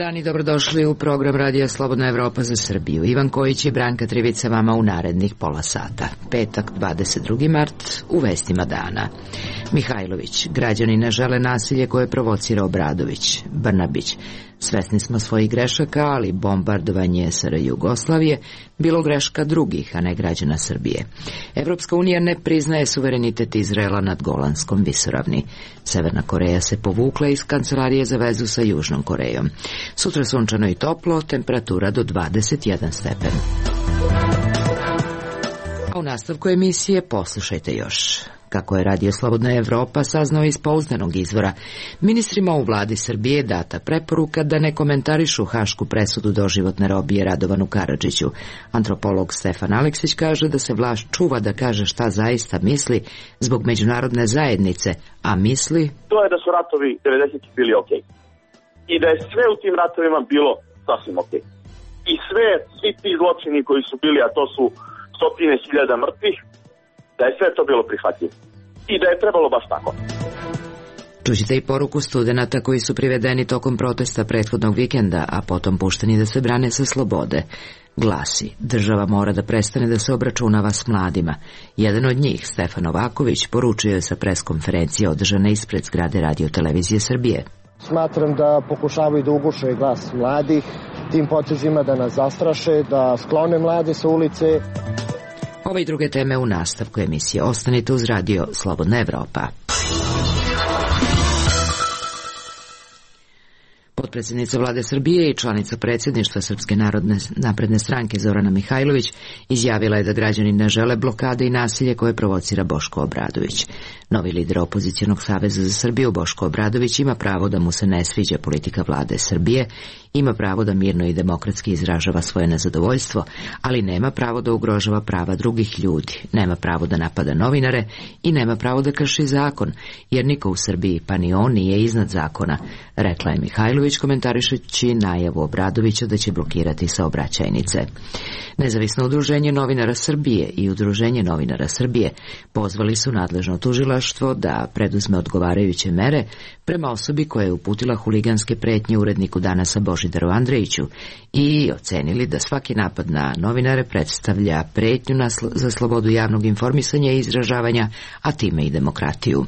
dan i dobrodošli u program Radija Slobodna Evropa za Srbiju. Ivan Kojić i Branka Trivica vama u narednih pola sata. Petak, 22. mart, u vestima dana. Mihajlović, građani ne žele nasilje koje provocira Obradović. Brnabić, svesni smo svojih grešaka, ali bombardovanje SR Jugoslavije bilo greška drugih, a ne građana Srbije. Evropska unija ne priznaje suverenitet Izraela nad Golanskom visoravni. Severna Koreja se povukla iz kancelarije za vezu sa Južnom Korejom. Sutra sunčano i toplo, temperatura do 21 stepen. A u nastavku emisije poslušajte još. Kako je Radio Slobodna Evropa saznao iz pouzdanog izvora, ministrima u vladi Srbije data preporuka da ne komentarišu hašku presudu doživotne robije Radovanu Karadžiću. Antropolog Stefan Aleksić kaže da se vlast čuva da kaže šta zaista misli zbog međunarodne zajednice, a misli... To je da su ratovi 90-ih bili okej. I da je sve u tim ratovima bilo sasvim okej. I svi ti zločini koji su bili, a to su stotine hiljada mrtvih, da je sve to bilo prihvatljivo. I da je trebalo baš tako. Čućete i poruku studenata koji su privedeni tokom protesta prethodnog vikenda, a potom pušteni da se brane sa slobode. Glasi, država mora da prestane da se obračunava s mladima. Jedan od njih, Stefan Novaković, poručio je sa preskonferencije održane ispred zgrade Radio Televizije Srbije. Smatram da pokušavaju da uguše glas mladih, tim potezima da nas zastraše, da sklone mlade sa ulice. Ove i druge teme u nastavku emisije. Ostanite uz Radio Slobodna Evropa. Potpredsjednica vlade Srbije i članica predsjedništva Srpske napredne stranke Zorana Mihajlović izjavila je da građani ne žele blokade i nasilje koje provocira Boško Obradović. Novi lider opozicionog saveza za Srbiju Boško Obradović ima pravo da mu se ne sviđa politika vlade Srbije, ima pravo da mirno i demokratski izražava svoje nezadovoljstvo, ali nema pravo da ugrožava prava drugih ljudi, nema pravo da napada novinare i nema pravo da krši zakon, jer niko u Srbiji, pa ni on, nije iznad zakona, rekla je Mihajlović komentarišući najavu Obradovića da će blokirati saobraćajnice. Nezavisno udruženje novinara Srbije i Udruženje novinara Srbije pozvali su nadležno tužilaštvo da preduzme odgovarajuće mere prema osobi koja je uputila huliganske pretnje uredniku Danasa Božidaru Andrejiću i ocenili da svaki napad na novinare predstavlja pretnju za slobodu javnog informisanja i izražavanja, a time i demokratiju.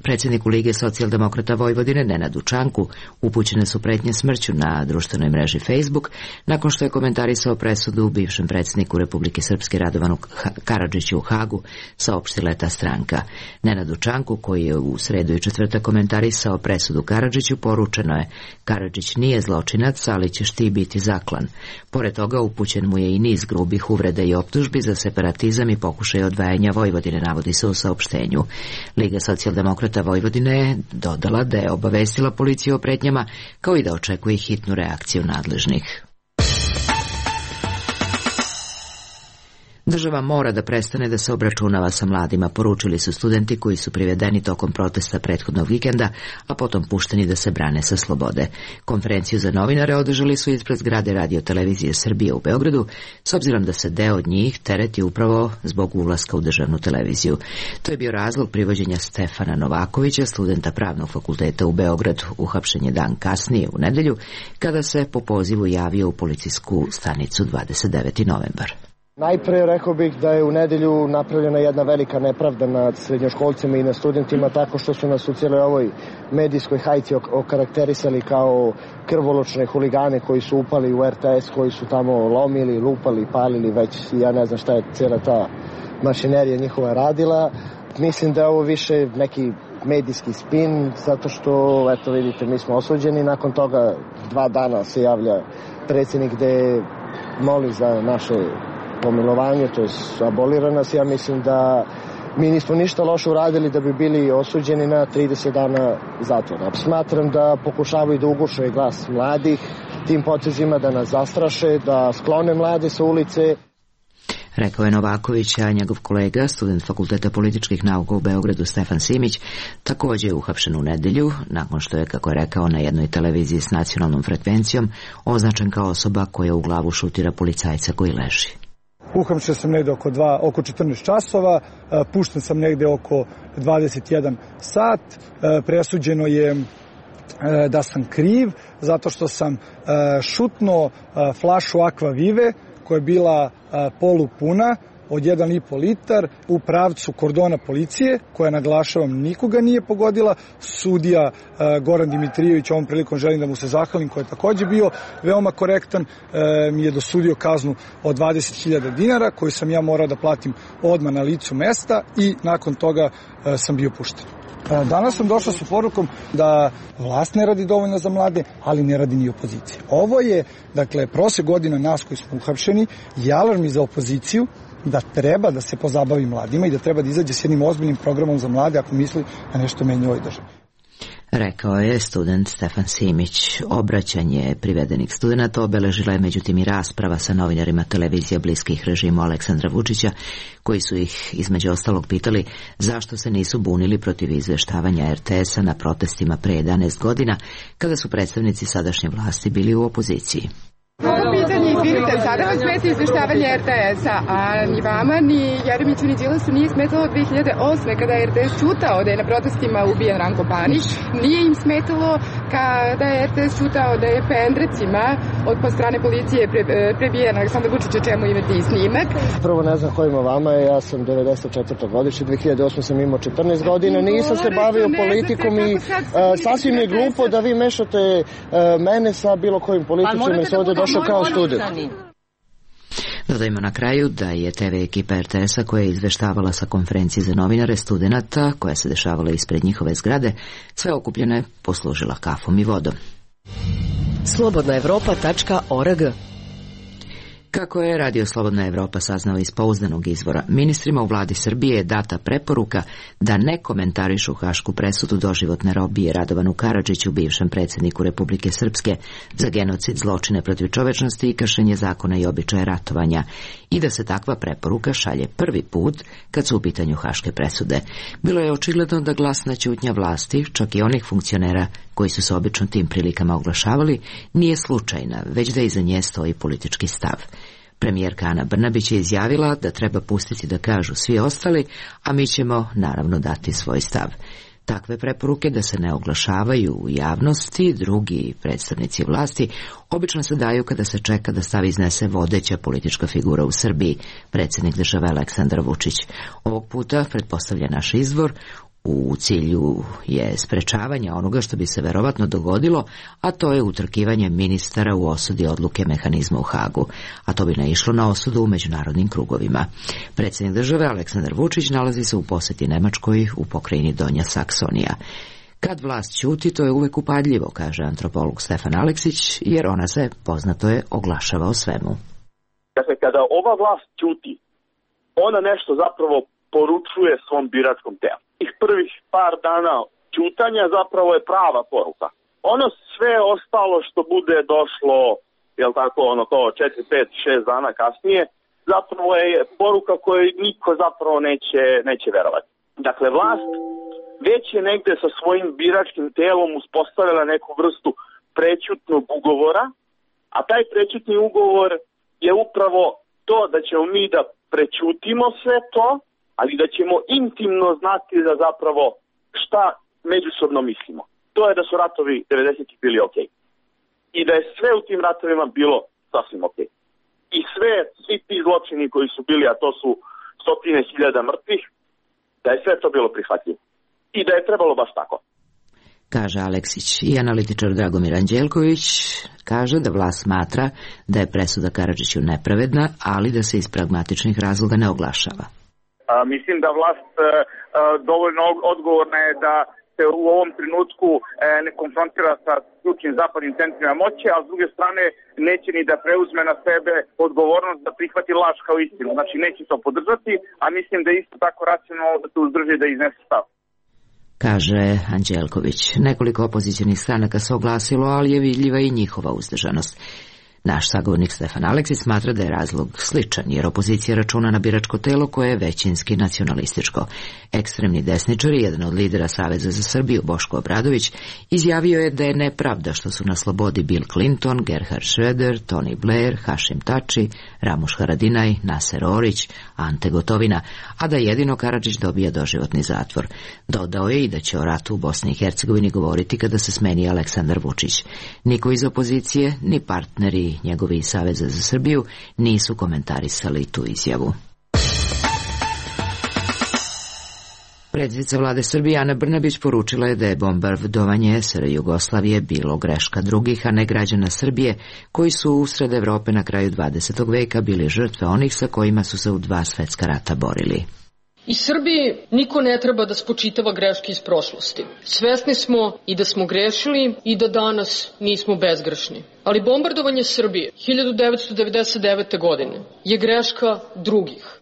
Predsjedniku Lige socijaldemokrata Vojvodine Nenadu Čanku upućene su pretnje smrću na društvenoj mreži Facebook nakon što je komentarisao presudu bivšem predsjedniku Republike Srpske Radovanu Karadžiću u Hagu, saopštila ta stranka. Nenadu Čanku, koji je u sredu i četvrtak komentarisao presudu Karadžiću, poručeno je: Karadžić nije zločinac, ali ćeš ti biti zaklan. Pored toga upućen mu je i niz grubih uvreda i optužbi za separatizam i pokušaj odvajanja Vojvodine, navodi se u saopštenju. Liga socijaldemokrata Vojvodine je dodala da je obavestila policiju o pretnjama, kao i da očekuje hitnu reakciju nadležnih. Država mora da prestane da se obračunava sa mladima, poručili su studenti koji su privedeni tokom protesta prethodnog vikenda, a potom pušteni da se brane sa slobode. Konferenciju za novinare održali su ispred zgrade Radio Televizije Srbije u Beogradu, s obzirom da se deo od njih tereti upravo zbog ulaska u državnu televiziju. To je bio razlog privođenja Stefana Novakovića, studenta Pravnog fakulteta u Beogradu. Uhapšen je dan kasnije u nedelju, kada se po pozivu javio u policijsku stanicu 29. novembar. Najpre rekao bih da je u nedelju napravljena jedna velika nepravda nad srednjoškolcima i nad studentima tako što su nas u cijeloj ovoj medijskoj hajci okarakterisali kao krvoločne huligane koji su upali u RTS, koji su tamo lomili, lupali, palili, već ja ne znam šta je cijela ta mašinerija njihova radila. Mislim da je ovo više neki medijski spin, zato što, eto vidite, mi smo osuđeni. Nakon toga 2 dana se javlja predsjednik gde moli za naše pomilovanje, to je abolira nas. Ja mislim da mi nismo ništa loše uradili da bi bili osuđeni na 30 dana zatvora. Smatram da pokušavaju da uguše glas mladih, tim potezima da nas zastraše, da sklone mlade sa ulice. Rekao je Novaković, a njegov kolega, student Fakulteta političkih nauka u Beogradu Stefan Simić, također je uhapšen u nedelju, nakon što je, kako je rekao, na jednoj televiziji s nacionalnom frekvencijom označen kao osoba koja u glavu šutira policajca koji leži. Uhapšen sam negde oko 14 časova, pušten sam negde oko 21 sat, presuđeno je da sam kriv zato što sam šutnuo flašu Aqua Vive koja je bila polupuna od 1,5 litar u pravcu kordona policije, koja, naglašavam, nikoga nije pogodila. Sudija Goran Dimitrijević, ovom prilikom želim da mu se zahvalim, koji je takođe bio veoma korektan, mi je dosudio kaznu od 20.000 dinara, koju sam ja morao da platim odmah na licu mesta i nakon toga sam bio pušten. Danas sam došao sa porukom da vlast ne radi dovoljno za mlade, ali ne radi ni opozicija. Ovo je, dakle, prosek godina nas koji smo uhapšeni i alarm i za opoziciju da treba da se pozabavi mladima i da treba da izađe s jednim ozbiljnim programom za mlade ako misli da nešto menja u ovoj državi. Rekao je student Stefan Simić. Obraćanje privedenih studenta obeležila je međutim i rasprava sa novinarima televizija bliskih režimu Aleksandra Vučića, koji su ih između ostalog pitali zašto se nisu bunili protiv izveštavanja RTS-a na protestima pre 11 godina, kada su predstavnici sadašnje vlasti bili u opoziciji. Ovo pitanje, izvinite, sada vas smeta izveštavanje RTS-a, a ni vama, ni Jeremiću, ni Đilasu nije smetalo 2008. kada je RTS čutao da je na protestima ubijen Ranko Panić. Nije im smetalo kada je RTS čutao da je pendrecima od strane policije prebijen Aleksandar Vučić, o čemu imate i snimak. Prvo ne znam ko ima vama, ja sam 94. godište, 2008. sam imao 14 godina, nisam se bavio politikom i sasvim je glupo da vi mešate mene sa bilo kojim političom i se ovde došao kao student. Dodajmo na kraju da je TV ekipa RTS-a koja je izveštavala sa konferencije za novinare studenata, koja se dešavala ispred njihove zgrade, sve okupljene poslužila kafom i vodom. Slobodnaevropa.org. Kako je Radio Slobodna Evropa saznao iz pouzdanog izvora, ministrima u vladi Srbije je data preporuka da ne komentarišu hašku presudu doživotne robije Radovanu Karadžiću, bivšem predsjedniku Republike Srpske, za genocid, zločine protiv čovečnosti i kršenje zakona i običaja ratovanja, i da se takva preporuka šalje prvi put kad su u pitanju haške presude. Bilo je očigledno da glasna ćutnja vlasti, čak i onih funkcionera koji su se obično tim prilikama oglašavali, nije slučajna, već da iza nje stoji politički stav. Premijerka Ana Brnabić je izjavila da treba pustiti da kažu svi ostali, a mi ćemo naravno dati svoj stav. Takve preporuke da se ne oglašavaju u javnosti drugi predstavnici vlasti obično se daju kada se čeka da stav iznese vodeća politička figura u Srbiji, predsjednik države Aleksandar Vučić. Ovog puta, pretpostavlja naš izvor, u cilju je sprečavanja onoga što bi se verovatno dogodilo, a to je utrkivanje ministara u osudi odluke mehanizma u Hagu, a to bi naišlo na osudu u međunarodnim krugovima. Predsjednik države Aleksandar Vučić nalazi se u posjeti Nemačkoj u pokrajini Donja Saksonija. Kad vlast ćuti, to je uvek upadljivo, kaže antropolog Stefan Aleksić, jer ona se, poznato je, oglašava o svemu. Dakle, kada ova vlast ćuti, ona nešto zapravo poručuje svom biračkom telu. Prvih par dana ćutanja zapravo je prava poruka. Ono sve ostalo što bude došlo, jel tako, ono to 4, 5, 6 dana kasnije, zapravo je poruka koju niko zapravo neće verovati. Dakle, vlast već je negde sa svojim biračkim telom uspostavila neku vrstu prećutnog ugovora, a taj prećutni ugovor je upravo to da ćemo mi da prećutimo sve to, ali da ćemo intimno znati da zapravo šta međusobno mislimo. To je da su ratovi 90-ih bili okej. I da je sve u tim ratovima bilo sasvim okej. I svi ti zločini koji su bili, a to su stotine hiljada mrtvih, da je sve to bilo prihvatljivo. I da je trebalo baš tako. Kaže Aleksić. I analitičar Dragomir Anđelković kaže da vlast smatra da je presuda Karadžiću nepravedna, ali da se iz pragmatičnih razloga ne oglašava. Mislim da vlast dovoljno odgovorna je da se u ovom trenutku ne konfrontira sa ključnim zapadnim centrima moći, a s druge strane neće ni da preuzme na sebe odgovornost da prihvati laž kao istinu. Znači neće to podržati, a mislim da je isto tako racionalno da se uzdrži da iznese stav. Kaže Anđelković. Nekoliko opozicionih stranaka se oglasilo, ali je vidljiva i njihova uzdržanost. Naš sagovornik Stefan Aleksić smatra da je razlog sličan, jer opozicija računa na biračko telo koje je većinski nacionalističko. Ekstremni desničari, jedan od lidera Saveza za Srbiju, Boško Obradović, izjavio je da je nepravda što su na slobodi Bill Clinton, Gerhard Schröder, Tony Blair, Hašim Tači, Ramuš Haradinaj, Naser Orić, Ante Gotovina, a da jedino Karadžić dobija doživotni zatvor. Dodao je i da će o ratu u Bosni i Hercegovini govoriti kada se smeni Aleksandar Vučić. Niko iz opozicije, ni partneri njegovi iz Saveza za Srbiju nisu komentarisali tu izjavu. Predsjednica vlade Srbije Ana Brnabić poručila je da je bombardovanje SR Jugoslavije bilo greška drugih, a ne građana Srbije, koji su usred Evrope na kraju 20. veka bili žrtve onih sa kojima su se u 2 svetska rata borili. I Srbiji niko ne treba da spočitava greške iz prošlosti. Svesni smo i da smo grešili i da danas nismo bezgrešni. Ali bombardovanje Srbije 1999. godine je greška drugih.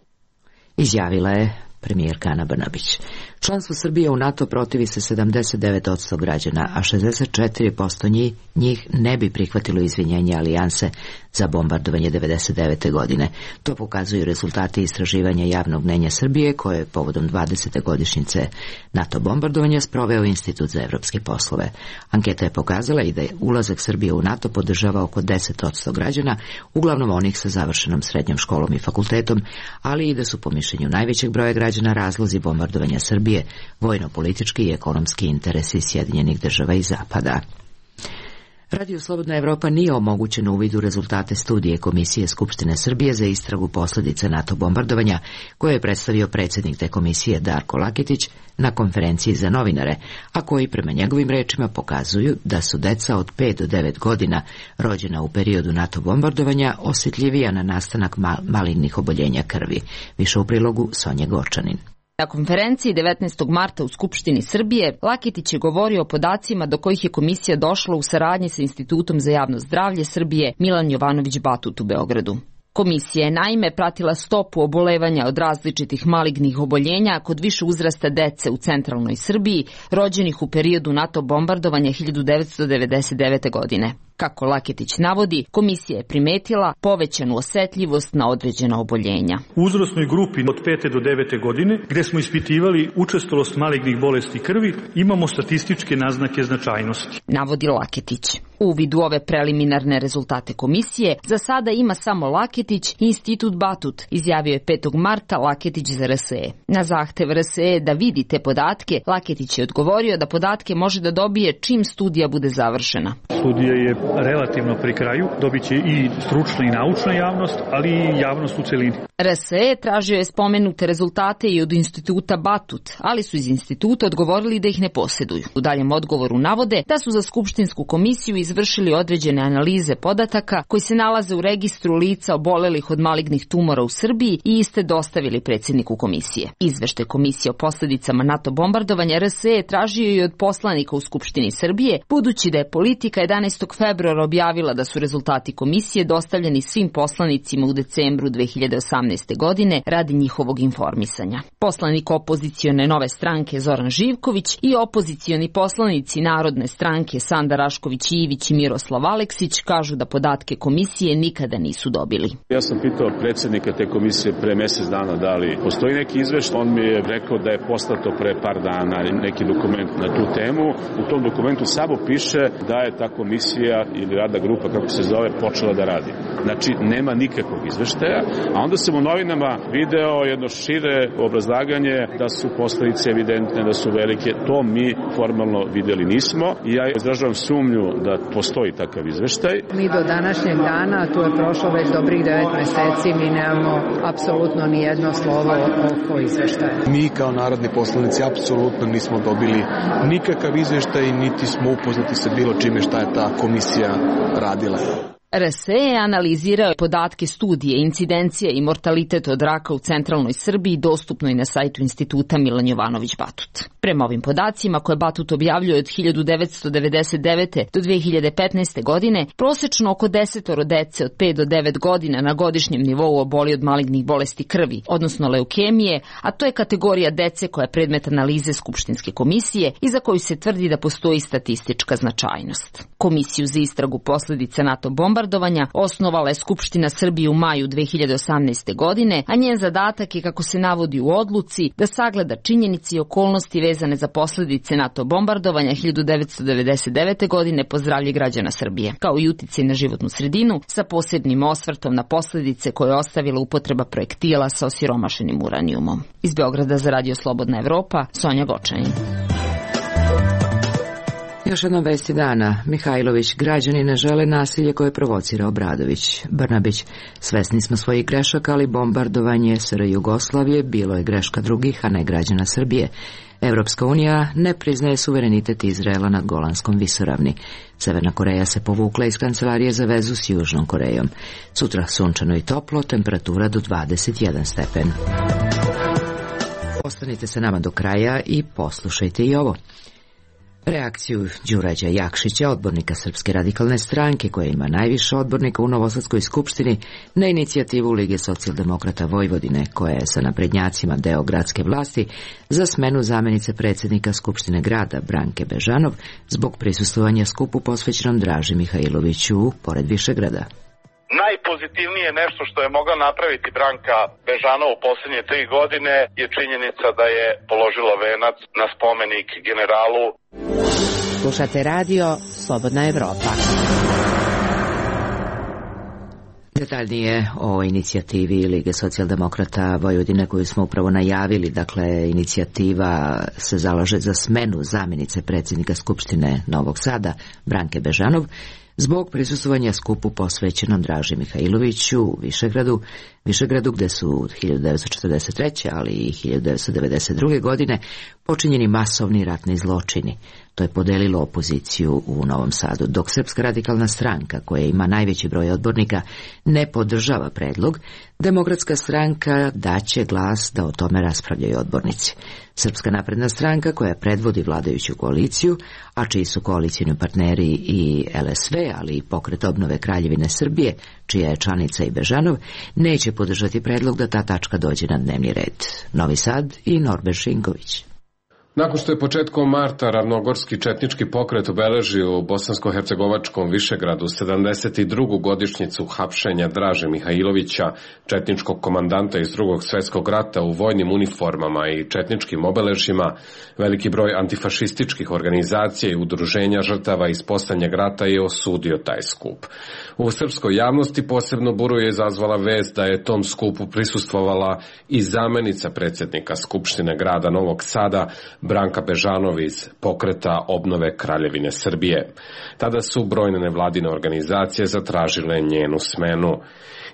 Izjavila je premijerka Ana Brnabić. Članstvo Srbije u NATO protivi se 79% građana, a 64% njih ne bi prihvatilo izvinjenje alijanse za bombardovanje 1999. godine. To pokazuju rezultati istraživanja javnog mnenja Srbije, koje je povodom 20. godišnjice NATO bombardovanja sproveo Institut za evropske poslove. Anketa je pokazala i da je ulazak Srbije u NATO podržava oko 10% građana, uglavnom onih sa završenom srednjom školom i fakultetom, ali i da su po mišljenju najvećeg broja građana razlozi bombardovanja Srbije vojno-politički i ekonomski interesi Sjedinjenih država i Zapada. Radio Slobodna Evropa nije omogućen uvid u rezultate studije Komisije Skupštine Srbije za istragu posljedica NATO bombardovanja, koje je predstavio predsjednik te komisije Darko Laketić na konferenciji za novinare, a koji prema njegovim rečima pokazuju da su deca od 5 do 9 godina rođena u periodu NATO bombardovanja osjetljivija na nastanak malignih oboljenja krvi. Više u prilogu Sonje Gorčanin. Na konferenciji 19. marta u Skupštini Srbije, Laketić je govorio o podacima do kojih je komisija došla u saradnji sa Institutom za javno zdravlje Srbije Milan Jovanović Batut u Beogradu. Komisija je naime pratila stopu obolevanja od različitih malignih oboljenja kod više uzrasta dece u centralnoj Srbiji, rođenih u periodu NATO bombardovanja 1999. godine. Kako Laketić navodi, komisija je primetila povećanu osetljivost na određena oboljenja. U uzrasnoj grupi od 5. do 9. godine, gde smo ispitivali učestalost malignih bolesti krvi, imamo statističke naznake značajnosti. Navodi Laketić. U vidu ove preliminarne rezultate komisije, za sada ima samo Laketić i Institut Batut, izjavio je 5. marta Laketić za RSE. Na zahtev RSE da vidi te podatke, Laketić je odgovorio da podatke može da dobije čim studija bude završena. Studija je relativno pri kraju, dobit će i stručna i naučna javnost, ali i javnost u celini. RSE tražio je spomenute rezultate i od Instituta Batut, ali su iz instituta odgovorili da ih ne posjeduju. U daljem odgovoru navode da su za Skupštinsku komisiju izvršili određene analize podataka koji se nalaze u registru lica obolelih od malignih tumora u Srbiji i iste dostavili predsjedniku komisije. Izveštaj komisije o posljedicama NATO bombardovanja RSE tražio i od poslanika u Skupštini Srbije, budući da je Politika 11. februara objavila da su rezultati komisije dostavljeni svim poslanicima u decembru 2018. godine radi njihovog informisanja. Poslanik opozicione Nove stranke Zoran Živković i opozicioni poslanici Narodne stranke Sanda Rašković Ivić i Miroslav Aleksić kažu da podatke komisije nikada nisu dobili. Ja sam pitao predsjednika te komisije pre mjesec dana da li postoji neki izveštaj. On mi je rekao da je poslato pre par dana neki dokument na tu temu. U tom dokumentu samo piše da je ta komisija ili radna grupa, kako se zove, počela da radi. Znači, nema nikakvog izveštaja, a onda sam u novinama video jedno šire obrazlaganje da su posledice evidentne, da su velike. To mi formalno videli nismo i ja izražavam sumnju da postoji takav izveštaj. Mi do današnjeg dana, tu je prošlo već dobrih 9 meseci, mi nemamo apsolutno ni jedno slovo oko izveštaja. Mi kao narodni poslanici apsolutno nismo dobili nikakav izveštaj, niti smo upoznati sa bilo čime šta je ta komisija radila. RSE je analizirao podatke studije incidencije i mortalitet od raka u centralnoj Srbiji dostupnoj na sajtu Instituta Milan Jovanović Batut. Prema ovim podacima koje Batut objavljuje od 1999. do 2015. godine, prosečno oko 10 dece od 5 do 9 godina na godišnjem nivou oboli od malignih bolesti krvi, odnosno leukemije, a to je kategorija dece koja je predmet analize Skupštinske komisije i za koju se tvrdi da postoji statistička značajnost. Komisiju za istragu posljedica NATO bombardovanja bombardovanja osnovala je Skupština Srbije u maju 2018. godine, a njen zadatak je, kako se navodi u odluci, da sagleda činjenice i okolnosti vezane za posledice NATO bombardovanja 1999. godine po zdravlje građana Srbije, kao i uticaj na životnu sredinu, sa posebnim osvrtom na posledice koje je ostavila upotreba projektila sa osiromašenim uranijumom. Iz Beograda za Radio Slobodna Evropa, Sonja Gočanin. Još jednom vesti dana. Mihajlović, građani ne žele nasilje koje provocira Obradović. Brnabić, svesni smo svojih grešaka, ali bombardovanje SR Jugoslavije bilo je greška drugih, a ne građana Srbije. Evropska unija ne priznaje suverenitet Izraela nad Golanskom visoravni. Severna Koreja se povukla iz kancelarije za vezu s Južnom Korejom. Sutra sunčano i toplo, temperatura do 21 stepen. Ostanite sa nama do kraja i poslušajte i ovo. Reakciju Đurađa Jakšića, odbornika Srpske radikalne stranke, koja ima najviše odbornika u Novosadskoj skupštini, na inicijativu Lige socijaldemokrata Vojvodine, koja je sa naprednjacima deo gradske vlasti, za smenu zamenice predsjednika Skupštine grada Branke Bežanov zbog prisustvovanja skupu posvećenom Draži Mihajloviću pored Višegrada. Najpozitivnije nešto što je mogla napraviti Branka Bežanov u posljednje 3 godine je činjenica da je položila venac na spomenik generalu. Slušate radio Slobodna Evropa. Detaljnije o inicijativi Lige socijaldemokrata Vojvodine koju smo upravo najavili. Dakle, inicijativa se zalaže za smenu zamjenice predsjednika Skupštine Novog Sada Branke Bežanov zbog prisustvovanja skupu posvećenom Draži Mihajloviću u Višegradu gde su 1943. ali i 1992. godine počinjeni masovni ratni zločini. To je podelilo opoziciju u Novom Sadu. Dok Srpska radikalna stranka, koja ima najveći broj odbornika, ne podržava predlog, Demokratska stranka daće glas da o tome raspravljaju odbornici. Srpska napredna stranka, koja predvodi vladajuću koaliciju, a čiji su koalicijni partneri i LSV, ali i Pokret obnove Kraljevine Srbije, čija je članica i Bežanov, neće podržati predlog da ta tačka dođe na dnevni red. Novi Sad i Norbert Šinković. Nakon što je početkom marta ravnogorski četnički pokret obeležio u bosansko-hercegovačkom Višegradu 72. godišnjicu hapšenja Draže Mihajlovića, četničkog komandanta iz Drugog svjetskog rata u vojnim uniformama i četničkim obeležjima, veliki broj antifašističkih organizacija i udruženja žrtava iz poslednjeg rata je osudio taj skup. U srpskoj javnosti posebno buru je izazvala vest da je tom skupu prisustvovala i zamenica predsjednika Skupštine grada Novog Sada, Branka Bežanov iz Pokreta obnove Kraljevine Srbije. Tada su brojne nevladine organizacije zatražile njenu smenu.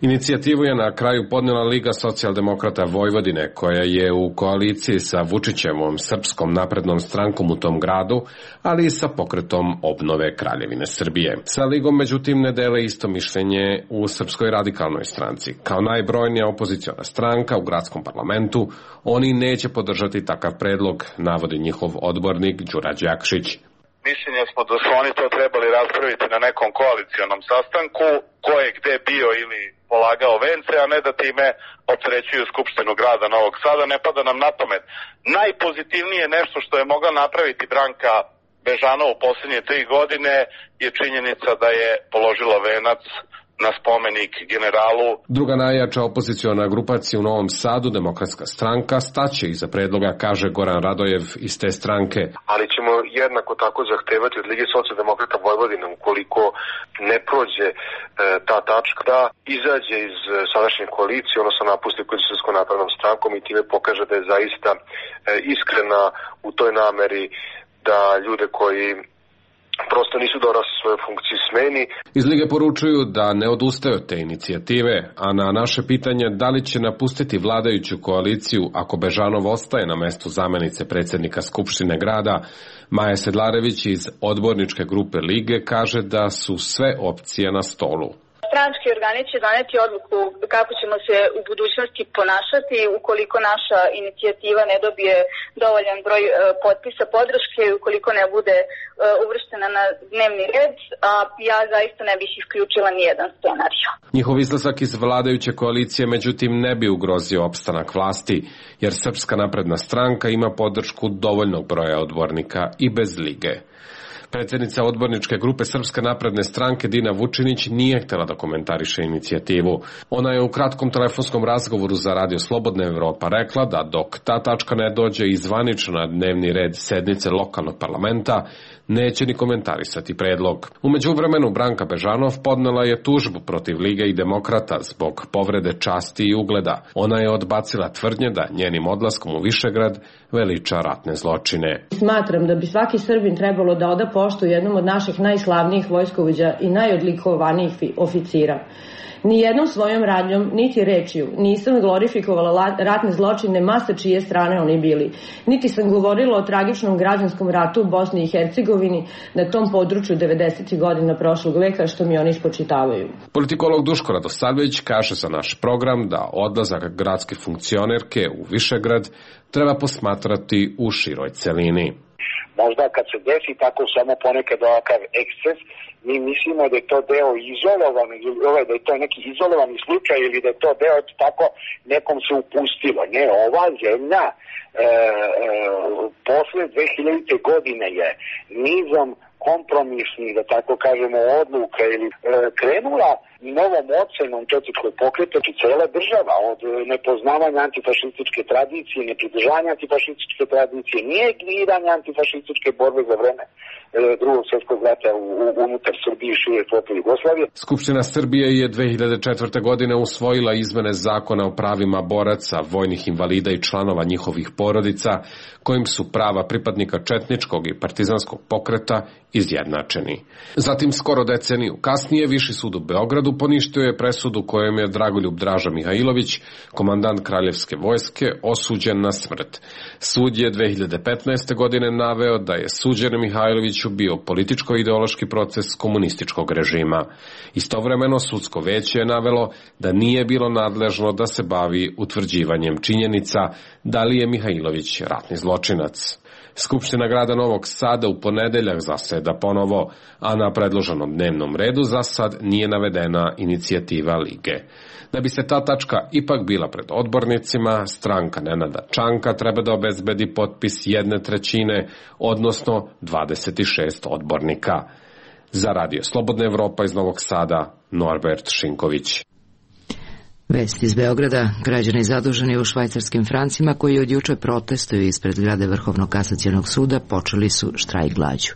Inicijativu je na kraju podnela Liga socijaldemokrata Vojvodine, koja je u koaliciji sa Vučićevom Srpskom naprednom strankom u tom gradu, ali i sa Pokretom obnove Kraljevine Srbije. Sa Ligom, međutim, ne dele isto mišljenje u Srpskoj radikalnoj stranci. Kao najbrojnija opoziciona stranka u gradskom parlamentu, oni neće podržati takav predlog, navodi njihov odbornik Đurađ Jakšić. Mišljenje smo da su oni to trebali raspraviti na nekom koalicionom sastanku, ko je gde bio ili polagao vence, a ne da time opterećuju Skupštinu grada Novog Sada. Ne pada nam na pamet. Najpozitivnije nešto što je mogla napraviti Branka Bežanov u posljednje 3 godine je činjenica da je položila venac na spomenik generalu. Druga najjača opoziciona grupacija u Novom Sadu, Demokratska stranka, staće iza predloga, kaže Goran Radojev iz te stranke. Ali ćemo jednako tako zahtevati od Lige socijaldemokrata Vojvodine, ukoliko ne prođe ta tačka, da izađe iz sadašnje koalicije, odnosno napusti koalicijskom naprednom strankom i time pokaže da je zaista iskrena u toj nameri da ljude koji prosto nisu dorasli svoje funkcije smeni. Iz Lige poručuju da ne odustaju od te inicijative, a na naše pitanje da li će napustiti vladajuću koaliciju ako Bežanov ostaje na mestu zamenice predsjednika Skupštine grada, Maja Sedlarević iz odborničke grupe Lige kaže da su sve opcije na stolu. Stranački organi će doneti odluku kako ćemo se u budućnosti ponašati ukoliko naša inicijativa ne dobije dovoljan broj potpisa podrške i ukoliko ne bude uvrštena na dnevni red, a ja zaista ne bih isključila nijedan scenarij. Njihov izlazak iz vladajuće koalicije međutim ne bi ugrozio opstanak vlasti, jer Srpska napredna stranka ima podršku dovoljnog broja odbornika i bez Lige. Predsjednica odborničke grupe Srpske napredne stranke Dina Vučinić nije htjela da komentariše inicijativu. Ona je u kratkom telefonskom razgovoru za Radio Slobodna Evropa rekla da dok ta tačka ne dođe i zvanično na dnevni red sednice lokalnog parlamenta, neće ni komentarisati predlog. U međuvremenu Branka Bežanov podnela je tužbu protiv Lige i Demokrata zbog povrede časti i ugleda. Ona je odbacila tvrdnje da njenim odlaskom u Višegrad veliča ratne zločine. Smatram da bi svaki Srbin trebalo da oda poštu jednom od naših najslavnijih vojskovođa i najodlikovanijih oficira. Nijednom svojom radnjom, niti rečju, nisam glorifikovala ratne zločine masa čije strane oni bili. Niti sam govorila o tragičnom građanskom ratu u Bosni i Hercegovini na tom području 90. godina prošlog veka, što mi oni spočitavaju. Politikolog Duško Radosavljević kaže za naš program da odlazak gradske funkcionerke u Višegrad treba posmatrati u široj celini. Možda kad se desi tako samo ponekad ovakav eksces, mi mislimo da je to deo izolovan, da je to neki izolovani slučaj ili da je to deo tako nekom se upustilo. Ne, ova zemlja posle 2000. godine je nizom kompromisnih, da tako kažemo, odluka ili krenula novom ocenom četničkog pokreta i cela država od nepoznavanja antifašističke tradicije, nepridržavanja antifašističke tradicije, negiranja antifašističke borbe za vreme Drugog svjetskog rata unutar Srbije i šire flote Jugoslavije. Skupština Srbije je 2004. godine usvojila izmene zakona o pravima boraca, vojnih invalida i članova njihovih porodica, kojim su prava pripadnika četničkog i partizanskog pokreta izjednačeni. Zatim, skoro deceniju kasnije, Viši sud u Beogradu poništio je presudu kojom je Dragoljub Draža Mihajlović, komandant Kraljevske vojske, osuđen na smrt. Sud je 2015. godine naveo da je suđen Mihajloviću bio političko-ideološki proces komunističkog režima. Istovremeno, sudsko veće je navelo da nije bilo nadležno da se bavi utvrđivanjem činjenica da li je Mihajlović ratni zločinac. Skupština grada Novog Sada u ponedeljak zaseda ponovo, a na predloženom dnevnom redu za sad nije navedena inicijativa Lige. Da bi se ta tačka ipak bila pred odbornicima, stranka Nenada Čanka treba da obezbedi potpis 1/3, odnosno 26 odbornika. Za Radio Slobodna Evropa iz Novog Sada, Norbert Šinković. Vest iz Beograda. Građani zaduženi u švajcarskim francima koji od juče protestuju ispred zgrade Vrhovnog kasacionog suda počeli su štrajk glađu.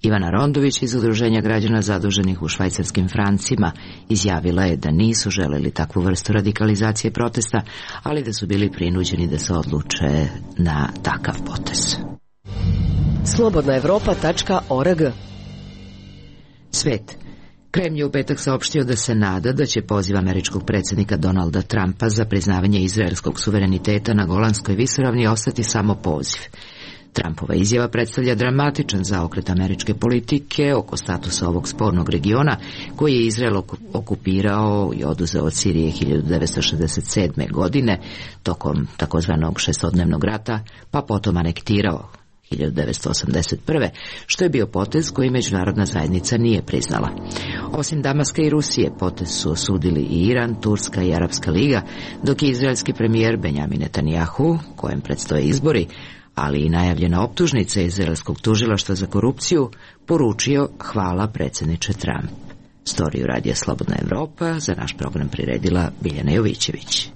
Ivana Rondović iz Udruženja građana zaduženih u švajcarskim francima izjavila je da nisu želeli takvu vrstu radikalizacije protesta, ali da su bili prinuđeni da se odluče na takav potez. Slobodnaevropa.org. Svet. Kremlj je u petak saopštio da se nada da će poziv američkog predsjednika Donalda Trumpa za priznavanje izraelskog suvereniteta na Golanskoj visoravni ostati samo poziv. Trumpova izjava predstavlja dramatičan zaokret američke politike oko statusa ovog spornog regiona koji je Izrael okupirao i oduzeo od Sirije 1967. godine tokom takozvanog šestodnevnog rata, pa potom anektirao 1981. što je bio potez koji međunarodna zajednica nije priznala. Osim Damaska i Rusije, potez su osudili i Iran, Turska i Arapska liga, dok je izraelski premijer Benjamin Netanjahu, kojem predstoje izbori, ali i najavljena optužnica izraelskog tužilaštva za korupciju, poručio hvala predsjedniče Trump. Storiju Radija Slobodna Evropa za naš program priredila Biljana Jovićević.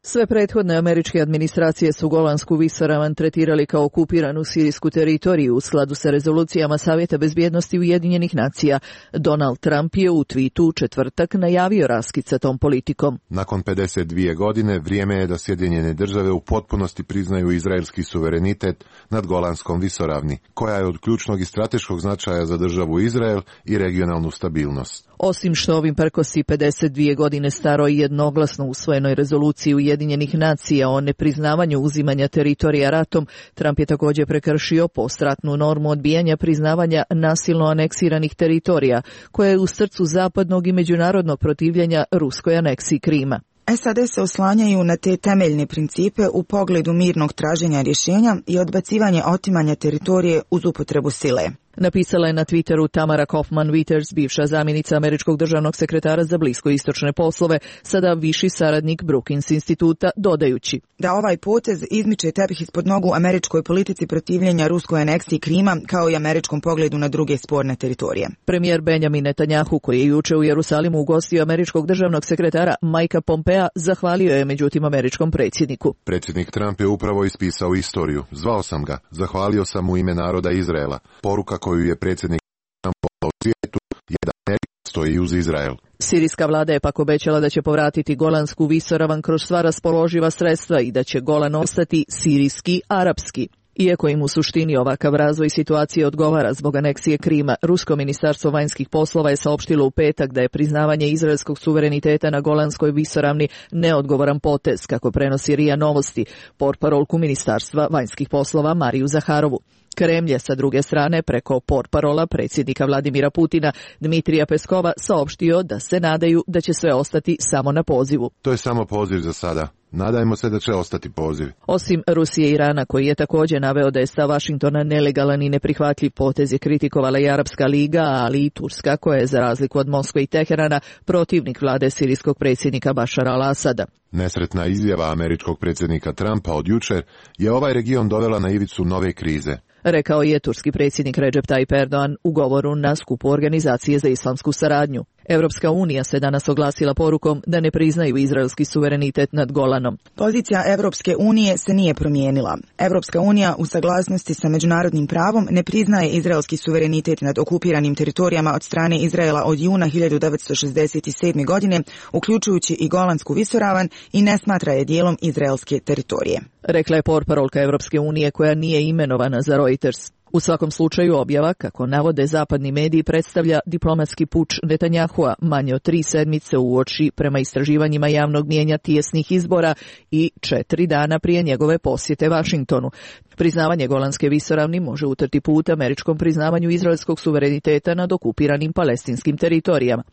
Sve prethodne američke administracije su Golansku visoravan tretirali kao okupiranu sirijsku teritoriju u skladu sa rezolucijama Savjeta bezbjednosti Ujedinjenih nacija. Donald Trump je u twitu u četvrtak najavio raskid sa tom politikom. Nakon 52 godine vrijeme je da Sjedinjene države u potpunosti priznaju izraelski suverenitet nad Golanskom visoravni, koja je od ključnog i strateškog značaja za državu Izrael i regionalnu stabilnost. Osim što ovim prkosi 52 godine staroj i jednoglasno usvojenoj rezoluciji Ujedinjenih nacija o nepriznavanju uzimanja teritorija ratom, Trump je također prekršio postratnu normu odbijanja priznavanja nasilno aneksiranih teritorija, koja je u srcu zapadnog i međunarodnog protivljenja ruskoj aneksiji Krima. SAD se oslanjaju na te temeljne principe u pogledu mirnog traženja rješenja i odbacivanje otimanja teritorije uz upotrebu sile. Napisala je na Twitteru Tamara Kaufman-Witters, bivša zamjenica američkog državnog sekretara za bliskoistočne poslove, sada viši saradnik Brookings instituta, dodajući da ovaj potez izmiče tepih ispod nogu američkoj politici protivljenja ruskoj aneksiji Krima, kao i američkom pogledu na druge sporne teritorije. Premijer Benjamin Netanjahu, koji je juče u Jerusalimu ugostio američkog državnog sekretara Mikea Pompea, zahvalio je međutim američkom predsjedniku. Predsjednik Trump je upravo ispisao istoriju. Zvao sam ga, zahvalio sam u ime naroda Izraela. Poruka koju je predsjednik Trump poslao svijetu je da Amerika stoji uz Izrael. Sirijska vlada je pak obećala da će povratiti Golansku visoravan kroz sva raspoloživa sredstva i da će Golan ostati sirijski arapski. Iako im u suštini ovakav razvoj situacije odgovara zbog aneksije Krima, Rusko ministarstvo vanjskih poslova je saopštilo u petak da je priznavanje izraelskog suvereniteta na Golanskoj visoravni neodgovoran potez, kako prenosi RIA Novosti, portparolku ministarstva vanjskih poslova Mariju Zaharovu. Kremlj je sa druge strane preko portparola predsjednika Vladimira Putina Dmitrija Peskova saopštio da se nadaju da će sve ostati samo na pozivu. To je samo poziv za sada. Nadajmo se da će ostati poziv. Osim Rusije i Irana, koji je također naveo da je stav Vašingtona nelegalan i neprihvatljiv potez, je kritikovala i Arapska liga, ali i Turska, koja je za razliku od Moskve i Teherana protivnik vlade sirijskog predsjednika Bašara al-Asada. Nesretna izjava američkog predsjednika Trumpa od jučer je ovaj region dovela na ivicu nove krize, rekao je turski predsjednik Recep Tayyip Erdogan u govoru na skupu Organizacije za islamsku saradnju. Evropska unija se danas oglasila porukom da ne priznaju izraelski suverenitet nad Golanom. Pozicija Evropske unije se nije promijenila. Evropska unija u saglasnosti sa međunarodnim pravom ne priznaje izraelski suverenitet nad okupiranim teritorijama od strane Izraela od juna 1967. godine, uključujući i Golansku visoravan, i ne smatra je dijelom izraelske teritorije, rekla je portparolka Evropske unije, koja nije imenovana za Reuters. U svakom slučaju objava, kako navode zapadni mediji, predstavlja diplomatski puč Netanjahua manje od 3 sedmice uoči, prema istraživanjima javnog mijenja, tijesnih izbora i 4 dana prije njegove posjete Vašingtonu. Priznavanje Golanske visoravni može utrti put američkom priznavanju izraelskog suvereniteta nad okupiranim palestinskim teritorijama.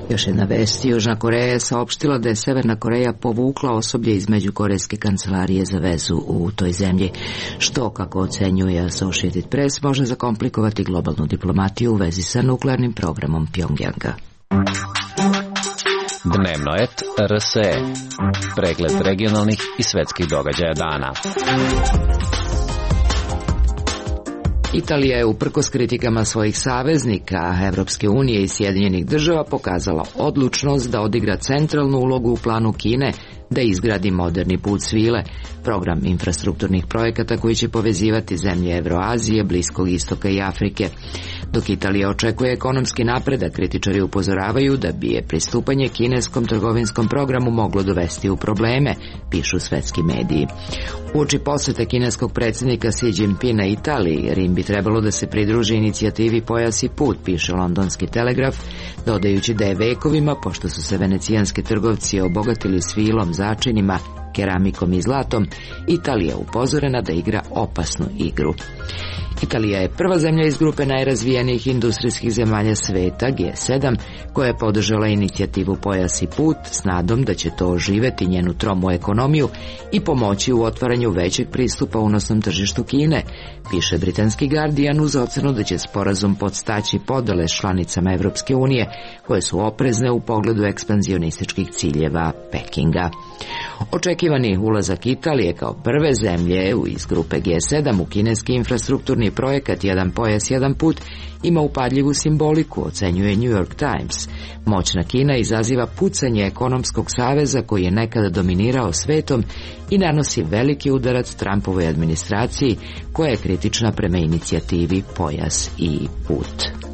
Još jedna vest. Južna Koreja je saopštila da je Severna Koreja povukla osoblje iz Međukorejske kancelarije za vezu u toj zemlji, što, kako ocenjuje Associated Press, može zakomplikovati globalnu diplomatiju u vezi sa nuklearnim programom Pjongjanga. Dnevno et RSE. Pregled regionalnih i svetskih događaja dana. Italija je uprkos kritikama svojih saveznika, Evropske unije i Sjedinjenih država, pokazala odlučnost da odigra centralnu ulogu u planu Kine da izgradi moderni put svile, program infrastrukturnih projekata koji će povezivati zemlje Evroazije, Bliskog istoka i Afrike. Dok Italija očekuje ekonomski napredak, kritičari upozoravaju da bi je pristupanje kineskom trgovinskom programu moglo dovesti u probleme, pišu svetski mediji. Uoči posete kineskog predsjednika Xi Jinpinga Italiji, Rim bi trebalo da se pridruži inicijativi Pojas i put, piše londonski Telegraf, dodajući da je vekovima, pošto su se venecijanski trgovci obogatili svilom, začinima, keramikom i zlatom, Italija upozorena da igra opasnu igru. Italija je prva zemlja iz grupe najrazvijenijih industrijskih zemalja sveta, G7, koja je podržala inicijativu Pojas i put s nadom da će to oživeti njenu tromu ekonomiju i pomoći u otvaranju većeg pristupa unosnom tržištu Kine, piše britanski Guardian, uz ocenu da će sporazum podstaći podele s članicama Evropske unije, koje su oprezne u pogledu ekspanzionističkih ciljeva Pekinga. Očekivani ulazak Italije kao prve zemlje iz grupe G7 u kineski infrastrukturni projekat Jedan pojas, jedan put ima upadljivu simboliku, ocenjuje New York Times. Moćna Kina izaziva pucanje ekonomskog saveza koji je nekada dominirao svetom i nanosi veliki udarac Trumpovoj administraciji, koja je kritična prema inicijativi Pojas i put.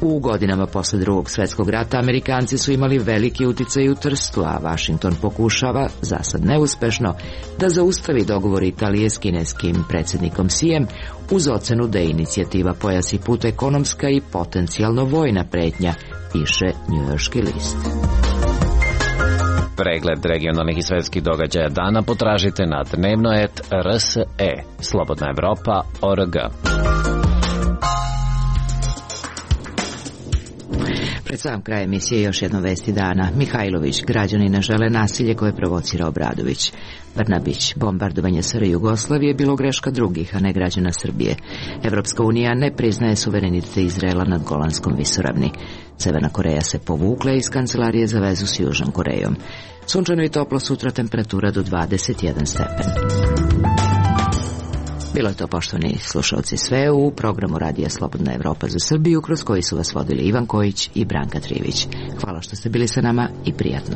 U godinama posle Drugog svjetskog rata Amerikanci su imali veliki uticaj u Trstu, a Washington pokušava, zasad neuspešno, da zaustavi dogovor Italije s kineskim predsjednikom Xijem uz ocenu da je inicijativa Pojas i put ekonomska i potencijalno vojna pretnja, piše Njujorški list. Pregled regionalnih i svetskih događaja dana potražite na dnevno.rs.e. Slobodna Evropa.org. sam kraj emisije još jedno vesti dana. Mihajlović, građani ne žele nasilje koje provocira Obradović. Brnabić, bombardovanje SR Jugoslavije bilo greška drugih, a ne građana Srbije. Evropska unija ne priznaje suverenitet Izraela nad Golanskom visoravni. Severna Koreja se povukla iz kancelarije za vezu s Južnom Korejom. Sunčano i toplo, sutra temperatura do 21 stepen. Bilo je to, poštovani slušalci, sve u programu Radija Slobodna Evropa za Srbiju, kroz koji su vas vodili Ivan Kojić i Branka Trivić. Hvala što ste bili sa nama i prijatno.